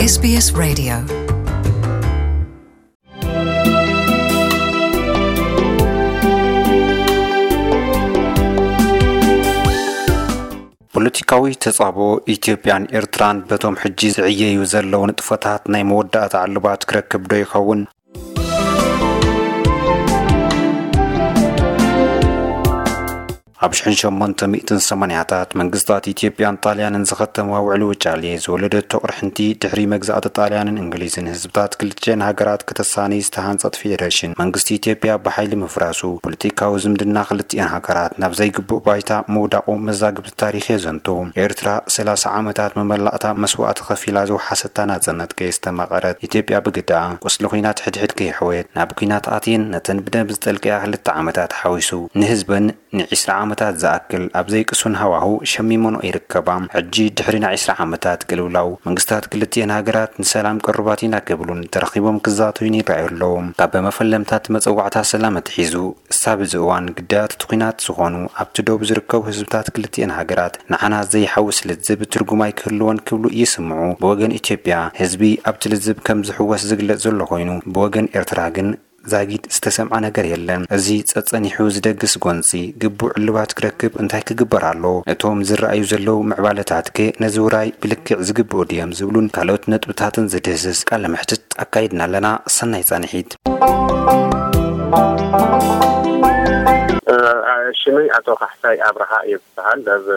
S B S Radio. ፖለቲካዊ ተጻብኦ ኢትዮጵያን ኤርትራን በቶም ሕጂ ዝዕየዩ ዘለዉ ንጥፈታት ናይ መወዳእታ ዕልባት ክረክብ ዶ ይኸውን? ኣብ ሽሕን ሸሞንተ ሚእትን ሰማንያታት መንግስታት ኢትዮጵያን ጣልያንን ዝኸተምዋ ውዕሊ ውጫሌ ዝወለደቶ ቅርሕንቲ፣ ድሕሪ መግዛእቲ ጣልያንን እንግሊዝን ህዝብታት ክልቲኤን ሃገራት ከተሳኒ ዝተሃንጸት ፌደሬሽን መንግስቲ ኢትዮጵያ ብሓይሊ ምፍራሱ፣ ፖለቲካዊ ዝምድና ክልቲኤን ሃገራት ናብ ዘይግቡእ ባይታ ምውዳቑ መዛግብቲ ታሪኽ የዘንቱ። ኤርትራ ሰላሳ ዓመታት መመላእታ መስዋእቲ ከፊላ ዝወሓሰታ ናጽነት ከየስተማቐረት፣ ኢትዮጵያ ብግዳ ቁስሊ ኲናት ሕድሕድ ከየሕወየት፣ ናብ ኲናት ኣትየን ነተን ብደም ዝጠልቀያ ክልተ ዓመታት ሓዊሱ ንህዝበን ንዒስራ ዓመታት ዝኣክል ኣብ ዘይቅሱን ሃዋሁ ሸሚመንኦ ይርከባ። ሕጂ ድሕሪ ናይ ዒስራ ዓመታት ቅልውላው፣ መንግስታት ክልቲኤን ሃገራት ንሰላም ቅሩባት ኢና ክብሉን ተራኺቦም ክዛተዩን ይረኣዩ ኣለዉ። ካብ መፈለምታት መጸዋዕታ ሰላም ኣትሒዙ፣ ክሳብ እዚ እዋን ግዳያት እቲ ኲናት ዝኾኑ ኣብቲ ዶብ ዝርከቡ ህዝብታት ክልቲኤን ሃገራት ንዓና ዘይሓውስ ልዝብ ትርጉም ኣይክህልዎን ክብሉ ይስምዑ። ብወገን ኢትዮጵያ፣ ህዝቢ ኣብቲ ልዝብ ከም ዝሕወስ ዝግለጽ ዘሎ ኮይኑ፣ ብወገን ኤርትራ ግን ዛጊድ ዝተሰምዐ ነገር የለን። እዚ ጸጸኒሑ ዝደግስ ጎንጺ ግቡእ ዕልባት ክረክብ እንታይ ክግበር ኣለዎ? እቶም ዝረኣዩ ዘለዉ ምዕባለታትከ ነዚ ውራይ ብልክዕ ዝግብኡ ድዮም ዝብሉን ካልኦት ነጥብታትን ዝድህስስ ቃለ መሕትት ኣካይድና ኣለና። ሰናይ ጻንሒት። እ፣ ሽመይ ኣቶ ካሕሳይ ኣብርሃ እየ ዝበሃል። ኣብ፣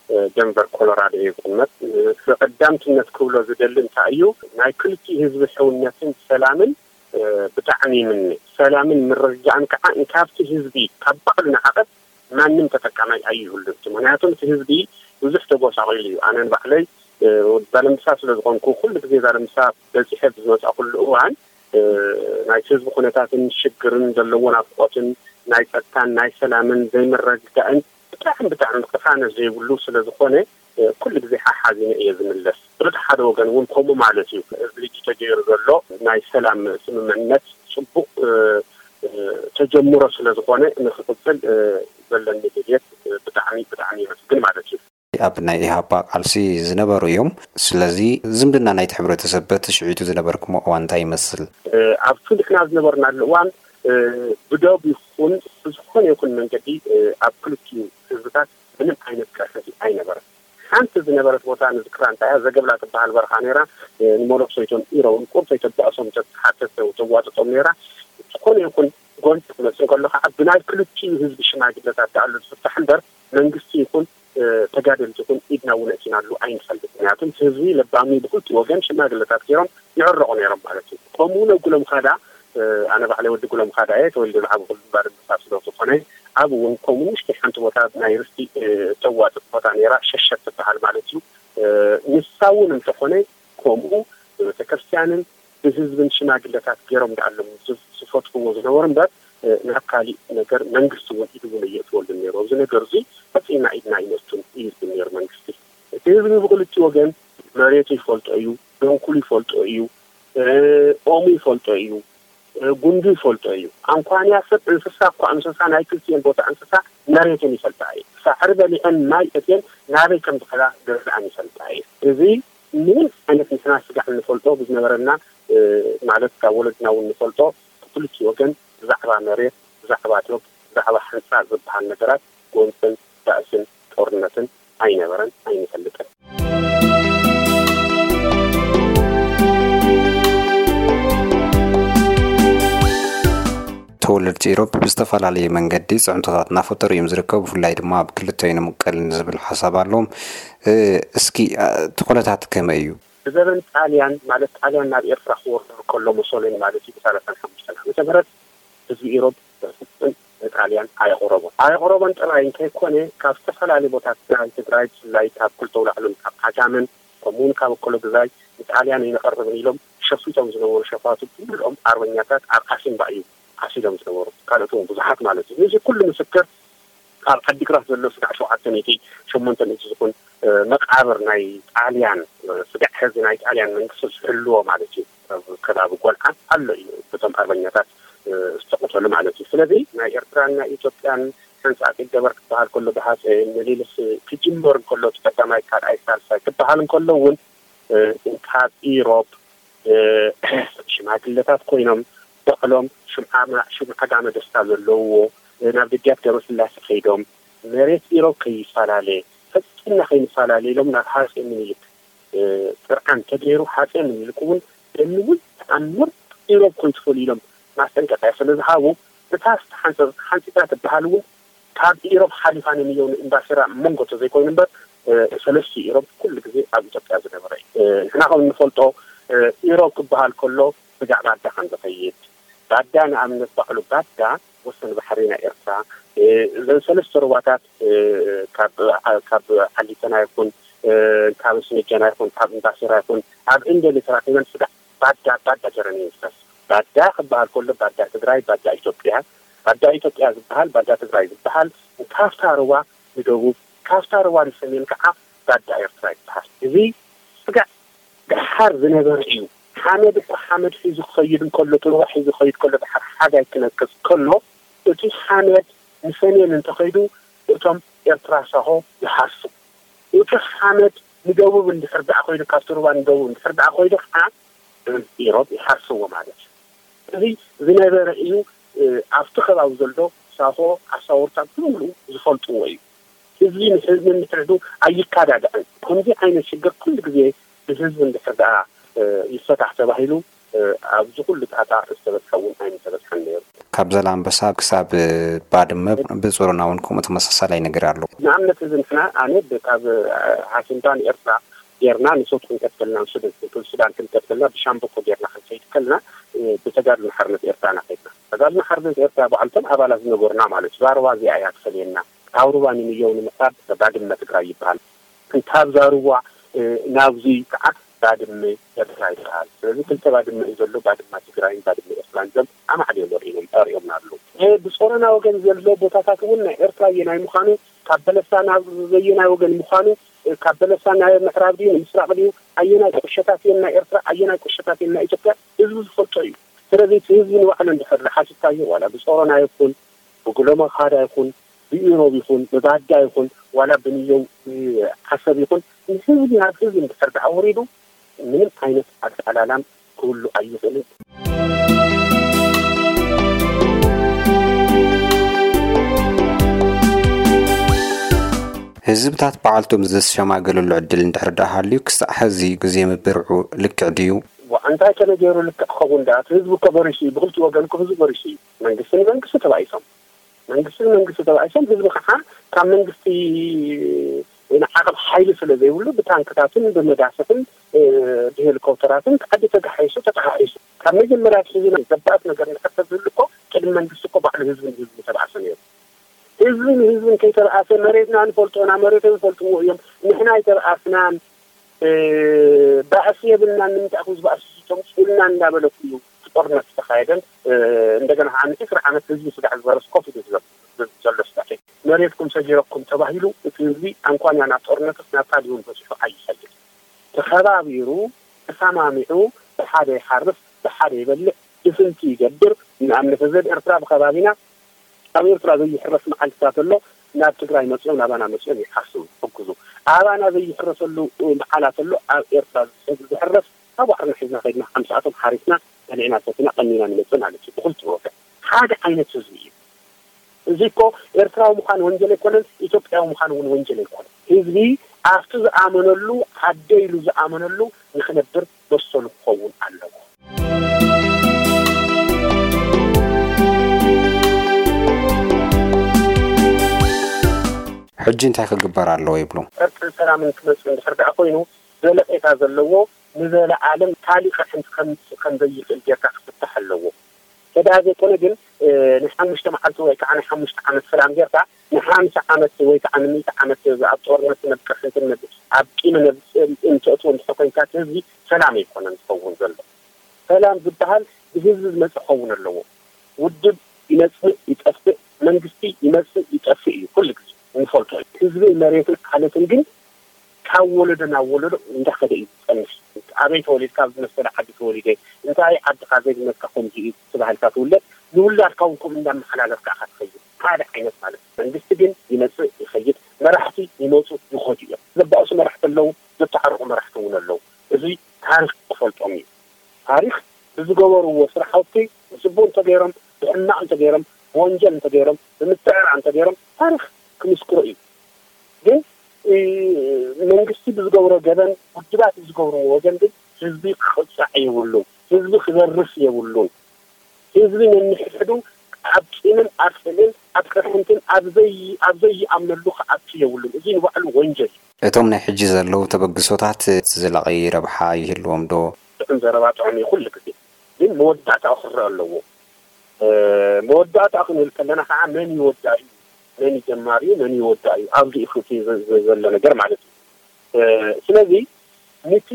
እ፣ ደንቨር ኮሎራዶ እየ ዝቕመጥ። እ፣ ብቐዳምትነት ክብሎ ዝደሊ እንታይ እዩ፣ ናይ ክልቲኡ ህዝቢ ሕውነትን ሰላምን እ፣ ብጣዕሚ ይምነ። ሰላምን ምርግጋእን ከዓ እንካብቲ ህዝቢ ካብ ባዕሉ ንዓቐብ ማንም ተጠቃማይ ኣይህሉን። ምክንያቱ እቲ ህዝቢ ብዙሕ ተጎሳቒሉ እዩ። ኣነ ንባዕለይ፣ እ፣ ዛለምሳ ስለ ዝኾንኩ፣ ኩሉ ግዜ ዛለምሳ በፂሐ ብዝመፃእኩሉ እዋን፣ እ፣ ናይቲ ህዝቢ ኩነታትን ሽግርን ዘለዎ ናፍቆትን ናይ ፀጥታን ናይ ሰላምን ዘይምርግጋእን ብጣዕሚ፣ ብጣዕሚ ቅሳነት ዘይብሉ ስለ ዝኾነ፣ እ፣ ኩሉ ግዜ ሓሓዚነ እየ ዝምለስ። በቲ ሓደ ወገን እውን ከምኡ ማለት እዩ። እዚ ሕጂ ተገይሩ ዘሎ ናይ ሰላም ስምምዕነት ጽቡቕ፣ እ፣ እ፣ ተጀምሮ ስለ ዝኾነ ንኽቕጽል፣ እ፣ ዘለኒ ድልየት፣ እ፣ ብጣዕሚ፣ ብጣዕሚ የመስግን ማለት እዩ። ኣብ ናይ ኢህኣፓ ቃልሲ ዝነበሩ እዮም። ስለዚ ዝምድና ናይቲ ሕብረተሰብ በቲ ሽዒቱ ዝነበርኩሞ እዋን እንታይ ይመስል? እ፣ ኣብቲ ንሕና ዝነበርናሉ እዋን፣ እ፣ ብዶብ ይኹን ብዝኾነ ይኹን መንገዲ፣ እ፣ ኣብ ክልቲኡ ህዝብታት ምንም ዓይነት ቅርሕንቲ ኣይነበረን። ሓንቲ ዝነበረት ቦታ ንዝክራ እንታይ እያ፣ ዘገብላ ትበሃል በረኻ ነይራ። እ፣ ንመነኩሰይቶም ኢሮም ቁርተይ ተባእሶም ተትሓተት ተዋጥጦም ነይራ። ዝኾነ ይኹን ጎንፂ ክመፅእ እንከሎ ከዓ ብናይ ክልቲኡ ህዝቢ ሽማግለታት ደኣሉ ዝፍታሕ እምበር መንግስቲ ይኹን፣ እ፣ ተጋደልቲ ይኹን ኢድና እውን ኣእቲናሉ ኣይንፈልጥ። ምክንያቱ እቲ ህዝቢ ለባም እዩ፣ ብክልቲኡ ወገን ሽማግለታት ገይሮም ይዕረቑ ነይሮም ማለት እዩ። ከምኡ እውን ኣብ ጉለምኻዳ፣ እ፣ ኣነ ባዕለይ ወዲ ጉለምኻዳ እየ፣ ተወሊደ ዝዓበኹሉ ባድመ ስለ ዝኾነ፣ ኣብ እውን ከምኡ ንእሽተይ ሓንቲ ቦታ ናይ ርስቲ፣ እ፣ ተዋጥጥ ቦታ ነይራ፣ ሸሸት ትበሃል ማለት እዩ። እ፣ ንሳ እውን እንተኾነ ከምኡ ብቤተክርስትያንን ብህዝብን ሽማግለታት ገይሮም ደኣሎም ዝፍ-፣ ዝፈትሕዎ ዝነበሩ እምበር፣ እ፣ ናብ ካሊእ ነገር መንግስቲ እውን ኢዱ እውን ኣየእትወሉን ነይሩ። ኣብዚ ነገር እዚ ፈጺምና ኢድና ኣይነእቱን እዩ ዝብል ነይሩ መንግስቲ። እቲ ህዝቢ ብክልቲኡ ወገን መሬቱ ይፈልጦ እዩ፣ ደንኩሉ ይፈልጦ እዩ፣ እ፣ ኦሙ ይፈልጦ እዩ፣ እ፣ ጉንዱ ይፈልጦ እዩ። ኣንኳንያ ሰብ እንስሳ እኳ እንስሳ ናይ ክልቲኤን ቦታ እንስሳ መሬተን ይፈልጣ እዩ። ሳዕሪ በሊዐን ማይ ሰትየን ናበይ ከም ዝኸዳ ገዛእን ይፈልጣ እዩ። እዚ ምንም ዓይነት ንሕና ስጋዕ እንፈልጦ ብዝነበረና፣ እ፣ ማለት ካብ ወለድና እውን ንፈልጦ፣ ክልቲኡ ወገን ብዛዕባ መሬት፣ ብዛዕባ ዶብ፣ ብዛዕባ ሓንጻር ዝበሃል ነገራት ጎንጽን ባእስን ጦርነትን ኣይነበረን፣ ኣይንፈልጥን። ተወለድቲ ኢሮብ ብዝተፈላለየ መንገዲ ጽዕንቶታት እናፈጠሩ እዮም ዝርከቡ፣ ብፍላይ ድማ ኣብ ክልተ ይንምቀል ዝብል ሓሳብ ኣለዎም። እ፣ እስኪ፣ እ፣ እቲ ኩነታት ከመይ እዩ? ብዘበን ጣልያን፣ ማለት ጣልያን ናብ ኤርትራ ክወርር ከሎ፣ ሙሶሊኒ ማለት እዩ፣ ብሰላሳን ሓሙሽተን ዓመተ ምህረት ህዝቢ ኢሮብ በፍጹም ንጣልያን ኣየቕረቦን። ኣየቕረቦን ጥራይ እንተይኮነ፣ ካብ ዝተፈላለዩ ቦታት ትግራይ፣ ትግራይ ብፍላይ ካብ ክልተ ኣውላዕሎን ካብ ዓጋመን፣ ከምኡውን ካብ እከሎ ግዛይ ንጣልያን ኣይንቐርብን ኢሎም ሸፊጦም ዝነበሩ ሸፋቱ ብምልኦም ኣርበኛታት ኣብ ዓሲምባ እዩ ዓሲሎም ዝነበሩ። ካልኦት እውን ብዙሓት ማለት እዩ። ነዚ ኩሉ ምስክር ኣብ ዓዲግራት ዘሎ ስጋዕ ሸውዓተ ሚእቲ ሸሞንተ ሚእቲ ዝኹን፣ እ፣ መቃብር ናይ ጣልያን፣ እ፣ ስጋዕ ሕዚ ናይ ጣልያን መንግስቲ ዝሕልዎ ማለት እዩ። ኣብ ከባቢ ጎልዓ ኣሎ እዩ፣ በቶም ኣርበኛታት፣ እ፣ ዝተቐተሉ ማለት እዩ። ስለዚ ናይ ኤርትራን ናይ ኢትዮጵያን ሕንጻጽ ይገበር ክበሃል ከሎ፣ ብሃፀይ ምኒልክ ክጅመር እንከሎ፣ እቲ ቀዳማይ፣ ካልኣይ፣ ሳልሳይ ክበሃል እንከሎ እውን ካብ ኢሮብ ሽማግለታት ኮይኖም በቕሎም ሽምዓ ጋመ ደስታ ዘለውዎ ናብ ደጃት ገብረስላሴ ከይዶም መሬት ኢሮብ ከይፈላለ ፈፂምና ከይንፈላለ ኢሎም ናብ ሃፀይ ምኒልክ ጥርዓን ተገይሩ። ሃፀይ ምኒልክ እውን ደንውን ተኣምር ኢሮብ ኮይትፈሉ ኢሎም ማስጠንቀቂያ ስለዝሃቡ እታ ዝተሓንፀ ሓንፂፃ ትበሃል እውን ካብ ኢሮብ ሓሊፋ ንንየው ንእምባሲራ መንጎ ተዘይኮይኑ እምበር ሰለስቲ ኢሮብ ኩሉ ግዜ ኣብ ኢትዮጵያ ዝነበረ እዩ። ንሕና ከም እንፈልጦ ኢሮብ ክበሃል ከሎ ስጋዕ ባዳ ከም ዝኸይድ ባዳ ንኣብነት ባዕሉ ባዳ ወሰን ባሕሪ ናይ ኤርትራ እዘን ሰለስተ ሩባታት ካብ ዓሊተና ይኹን ካብ ስነጀና ይኹን ካብ እምባሲራ ይኹን ኣብ እንደሊ ተራኺበን ስጋዕ ባዳ ባዳ ጀረን ይንፈስ። ባዳ ክበሃል ከሎ ባዳ ትግራይ፣ ባዳ ኢትዮጵያ፣ ባዳ ኢትዮጵያ ዝበሃል፣ ባዳ ትግራይ ዝበሃል ካብታ ሩባ ንደቡብ ካብታ ሩባ ንሰሜን ከዓ ባዳ ኤርትራ ይበሃል። እዚ ስጋዕ ደሓር ዝነበረ እዩ። ሓመድ እኮ ሓመድ ሒዙ ክኸይድ እንከሎ፣ እቲ ሩባ ሒዙ ክኸይድ ከሎ፣ ደሓር ሓጋይ ክነቅጽ ከሎ፣ እቲ ሓመድ ንሰሜን እንተኸይዱ፣ እቶም ኤርትራ ሳሆ ይሃሱ። እቲ ሓመድ ንደቡብ እንድሕር ደኣ ኮይዱ፣ ካብቲ ሩባ ንደቡብ እንድሕር ደኣ ኮይዱ ከዓ፣ ኢሮብ ይሃስዎ ማለት እዩ። እዚ ዝነበረ እዩ። ኣብቲ ከባቢ ዘሎ ሳሆ ኣሳወርታ ብምሉኡ ዝፈልጥዎ እዩ። ህዝቢ ንህዝቢ ምትሕዱ ኣይካዳድዕን። ከምዚ ዓይነት ሽግር ኩሉ ግዜ ብህዝቢ እንድሕር ደኣ ይፈታሕ ተባሂሉ ኣብዚ ኩሉ ጣጣ ዝተበፅሐ እውን ኣይምተበፅሐን ነይሩ። ካብ ዘላንበሳ ክሳብ ባድመ ብፅሮና እውን ከምኡ ተመሳሳላይ ነገር ኣሎ። ንኣብነት እዚ ንሕና ኣነ ካብ ዓሲምባ ንኤርትራ ጌርና ንሶት ክንቀትልና ንሱዳን ክንቀትልና ብሻምበቆ ጌርና ክንከይድ ከልና ብተጋድሎ ሓርነት ኤርትራ ኢና ከይድና። ተጋድሎ ሓርነት ኤርትራ ባዕልቶም ኣባላት ዝነበሩና ማለት እዩ። ዛረባ እዚኣ እያ ትፈልየና። ካብ ሩባ ንምየው ንምዕራብ ባድመ ትግራይ ይበሃል። እንታብ ዛርዋ ናብዚ ከዓ ባድመ ኤርትራ ይበሃል። ስለዚ ክልተ ባድመ እዩ ዘሎ፣ ባድማ ትግራይን ባድመ ኤርትራን። እዞም ኣማዕድዮም ወሪኖም ኣርእዮምና ኣለዉ። ብፆረና ወገን ዘሎ ቦታታት እውን ናይ ኤርትራ ኣየናይ ምዃኑ፣ ካብ በለሳ ናብ ዘየናይ ወገን ምዃኑ፣ ካብ በለሳ ናይ ምዕራብ ድዩ ንምስራቕ ድዩ፣ ኣየናይ ቁሸታት እዮም ናይ ኤርትራ ኣየናይ ቁሸታት እዮም ናይ ኢትዮጵያ ህዝቢ ዝፈልጦ እዩ። ስለዚ እቲ ህዝቢ ንባዕሉ እንድሕር ሓሲብካዮ ዋላ ብፆረና ይኹን ብጉለመኻዳ ይኹን ብኢሮብ ይኹን ብባዳ ይኹን ዋላ ብንየው ዓሰብ ይኹን ንህዝቢ ናብ ህዝቢ እንድሕር ደኣ ወሪዱ ምንም ዓይነት ኣጠላላም ክህሉ ኣይኽእልን። ህዝብታት በዓልቶም ዘሸማገለሉ ዕድል እንድሕር ደኣ ሃልዩ ክሳዕ ሕዚ ግዜ ምብርዑ ልክዕ ድዩ? እንታይ ከመይ ገይሩ ልክዕ ክኸውን ደኣ? እቲ ህዝቢ እኮ በሪሱ እዩ። ብክልቲኡ ወገን እኮ ህዝቢ በሪሱ እዩ። መንግስቲ ንመንግስቲ ተባኢሶም መንግስቲ ንመንግስቲ ተባኢሶም ህዝቢ ከዓ ካብ መንግስቲ ንዓቕብ ሓይሊ ስለ ዘይብሉ ብታንክታትን ብመዳፍዕን ብሄሊኮፕተራትን ዓዲ ተጋሒሱ ተተሓሒሱ ካብ መጀመርያ ኣትሒዙ ገባእት ነገር እንድሕር ተዝህሉ እኮ ቅድሚ መንግስቲ እኮ ባዕሉ ህዝቢ ንህዝቢ ተባእሰ ነይሩ። ህዝቢ ንህዝቢ እንከይተባእሰ መሬትና ንፈልጦ ኢና መሬቶም ይፈልጥዎ እዮም ንሕና ኣይተባእስናን ባእሲ የብልናን ንምንታይ ኢኹም ዝበኣሱ ተምፅኡልና እንዳበለ እዩ ጦርነት ዝተኻየደን እንደገና ከዓ ንዒስራ ዓመት ህዝቢ ስጋዕ ዝበረስ ኮፍ ኢሉ ዝገብ ዘሎ ስጋዕ መሬትኩም ሰጊረኩም ተባሂሉ እቲ ህዝቢ ኣንኳንያ ናብ ጦርነትስ ናብ ታዲውን በፂሑ ኣይፈልጥ ተኸባቢሩ ተሰማሚዑ ብሓደ ይሓርስ ብሓደ ይበልዕ ድፍንቲ ይገብር ንኣብነት ህዝብ ኤርትራ ብከባቢና ኣብ ኤርትራ ዘይሕረስ መዓልትታት ኣሎ ናብ ትግራይ መፅኦም ናባና መፅኦም ይሓርሱ ሕግዙ ኣባና ዘይሕረሰሉ መዓላት ኣሎ ኣብ ኤርትራ ዝሕረስ ካብ ዋዕርና ሒዝና ከድና ከምስኣቶም ሓሪስና በሊዕና ሰትና ቀኒና ንመፅእ ማለት እዩ ብክልቲ ወገን ሓደ ዓይነት ህዝቢ እዩ እዚ እኮ ኤርትራዊ ምዃን ወንጀል ኣይኮነን ኢትዮጵያዊ ምዃን እውን ወንጀል ኣይኮነን ህዝቢ ኣብቲ ዝኣመነሉ ዓደ ኢሉ ዝኣመነሉ ንክነብር በሰሉ ክኸውን ኣለዎ ሕጂ እንታይ ክግበር ኣለዎ ይብሉ? ዕርቅን ሰላምን ክመፅእ እንድሕር ደኣ ኮይኑ ዘለቄታ ዘለዎ ንዘለኣለም ካሊእ ቅርሕንቲ ከምፅእ ከምዘይኽእል ጌርካ ክፍታሕ ኣለዎ። ተደኣ ዘይኮነ ግን ናይ ሓሙሽተ መዓልቲ ወይ ከዓ ናይ ሓሙሽተ ዓመት ሰላም ጌርካ ንሓምሳ ዓመት ወይ ከዓ ንምእቲ ዓመት ኣብ ጦርነትን ኣብ ቅርሕንትን ኣብ ቂምን ኣብ ፅልእን ተእትዎ እንድሕር ኮይንካ እቲ ህዝቢ ሰላም ኣይኮነን ዝኸውን ዘሎ። ሰላም ዝበሃል ብህዝቢ ዝመፅእ ክኸውን ኣለዎ። ውድብ ይመፅእ ይጠፍእ፣ መንግስቲ ይመፅእ ይጠፍእ እዩ ኩሉ ግዜ እንፈልጦ እዩ። ህዝብን መሬትን ዓለትን ግን ካብ ወለዶ ናብ ወለዶ እንዳኸደ እዩ ዝፀንሕ። ኣበይ ተወሊድካ? ኣብ ዝመሰለ ዓዲ ተወሊደ። እንታይ ዓድኻ ዘይብለካ ከምዚ እዩ ተባሂልካ ትውለድ። ንውላድካ እውን ከምኡ እንዳመሓላለፍካ ኢኻ ትኸይድ። ሓደ ዓይነት ማለት እዩ። መንግስቲ ግን ይመፅእ ይኸይድ፣ መራሕቲ ይመፁ ይኸዱ እዮም። ዘባእሱ መራሕቲ ኣለዉ፣ ዘተዓርቑ መራሕቲ እውን ኣለዉ። እዚ ታሪኽ ክፈልጦም እዩ። ታሪኽ ብዝገበርዎ ስራሕቲ፣ ብፅቡቅ እንተገይሮም፣ ብሕማቅ እንተገይሮም፣ ብወንጀል እንተገይሮም፣ ብምትዕራር እንተገይሮም፣ ታሪኽ ክምስክሮ እዩ። ግን መንግስቲ ብዝገብሮ ገበን፣ ውድባት ብዝገብርዎ ወገን ግን ህዝቢ ክቕፃዕ የብሉን። ህዝቢ ክዘርፍ የብሉን። ህዝቢ ነንሕድሕዱ ኣብ ቂምን ኣብ ጽልእን ኣብ ቅርሕንትን ኣብ ዘይኣምነሉ ክኣቱ የብሉን። እዚ ንባዕሉ ወንጀል እዩ። እቶም ናይ ሕጂ ዘለዉ ተበግሶታት እቲ ዘላቒ ረብሓ ይህልዎም ዶ? ጥዑም ዘረባ ጥዑም እዩ ኩሉ ግዜ፣ ግን መወዳእታኡ ክረኣ ኣለዎ። መወዳእታ ክንብል ከለና ከዓ መን ይወዳ እዩ፣ መን ይጀማር እዩ፣ መን ይወዳ እዩ፣ ኣብዚ እዩ እቲ ዘሎ ነገር ማለት እዩ። ስለዚ ንቲ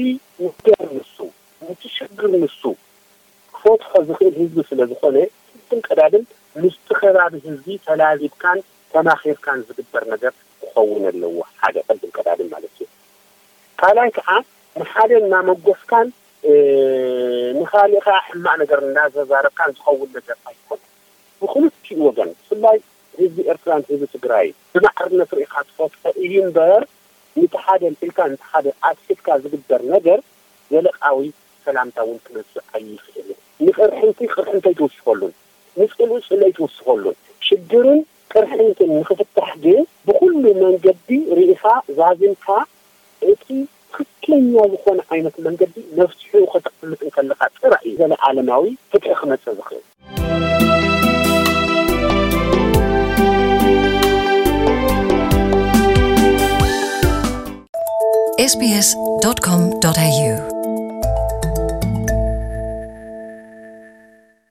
ነገር ንሱ ንቲ ሽግር ንሱ ክፈትሖ ዝኽእል ህዝቢ ስለ ዝኾነ ቅድም ቀዳድም ምስቲ ከባቢ ህዝቢ ተላዚብካን ተማኺርካን ዝግበር ነገር ክኸውን ኣለዎ። ሓደ ቅድም ቀዳድም ማለት እዩ። ካልኣይ ከዓ ንሓደ እናመጎስካን ንኻሊእ ከዓ ሕማቕ ነገር እናዘዛረብካን ዝኸውን ነገር ኣይኮነን። ብክልቲኡ ወገን ብፍላይ ህዝቢ ኤርትራን ህዝቢ ትግራይ ብማዕርነት ርኢኻ ትፈትሖ እዩ እምበር፣ ነቲ ሓደ ኣልዒልካ ነቲ ሓደ ኣስሒትካ ዝግበር ነገር ዘለቃዊ ሰላምታ እውን ክመፅእ ኣይኽእልን። ንቅርሕንቲ ቅርሕንቲ ኣይትውስኸሉን፣ ንፅልኢ ፅልኢ ኣይትውስኸሉን። ሽግርን ቅርሕንትን ንክፍታሕ ግን ብኩሉ መንገዲ ርኢኻ ዛዚምካ እቲ ትኽክለኛ ዝኾነ ዓይነት መንገዲ መፍትሒኡ ከተቕምጥ እንከለኻ ጥራሕ እዩ ዘለኣለማዊ ፍትሒ ክመፅእ ዝኽእል። sbs.com.au